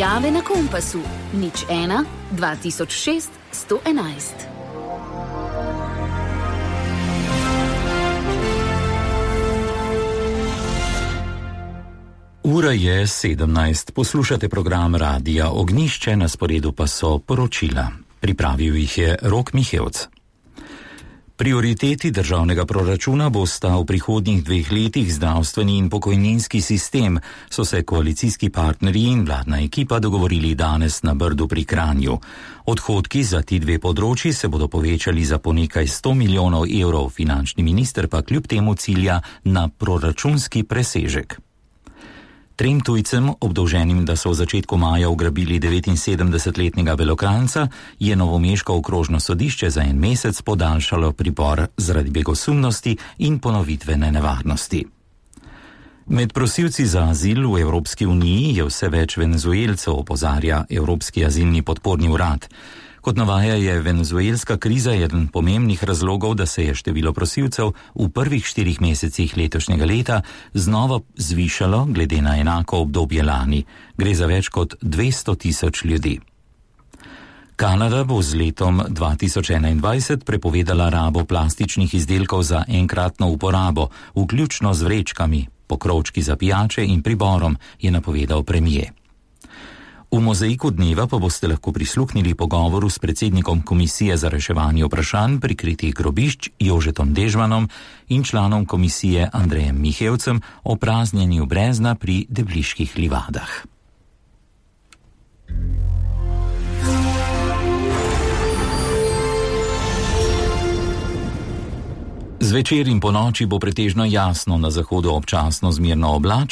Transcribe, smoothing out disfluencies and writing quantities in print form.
Izjave na Kompasu 01 2006 111. Ura je 17. Poslušate program Radija Ognjišče, na sporedu pa so poročila. Pripravil jih je Rok Mihevc. Prioriteti državnega proračuna bosta v prihodnjih 2 letih zdravstveni in pokojninski sistem, so se koalicijski partnerji in vladna ekipa dogovorili danes na Brdu pri Kranju. Odhodki za ti 2 področji se bodo povečali za po nekaj 100 milijonov evrov, finančni minister pa kljub temu cilja na proračunski presežek. 3 tujcem, obdolženim, da so v začetku maja ugrabili 79-letnega Belokranjca, je novomeško okrožno sodišče za 1 mesec podaljšalo pripor zaradi begosumnosti in ponovitvene nevarnosti. Med prosilci za azil v Evropski uniji je vse več Venezuelcev, opozarja Evropski azilni podporni urad. Kot navaja, je venezuelska kriza eden pomembnih razlogov, da se je število prosilcev v prvih 4 mesecih letošnjega leta znova zvišalo glede na enako obdobje lani. Gre za več kot 200 tisoč ljudi. Kanada bo z letom 2021 prepovedala rabo plastičnih izdelkov za enkratno uporabo, vključno z vrečkami, pokrovčki za pijače in priborom, je napovedal premier. V mozaiku dneva pa boste lahko prisluhnili pogovoru s predsednikom Komisije za reševanje vprašanj prikritih grobišč Jožetom Dežmanom in članom komisije Andrejem Mihevcem o praznjenju brezna pri Debliških livadah. Zvečer in ponoči bo pretežno jasno, na zahodu občasno zmerno oblačno.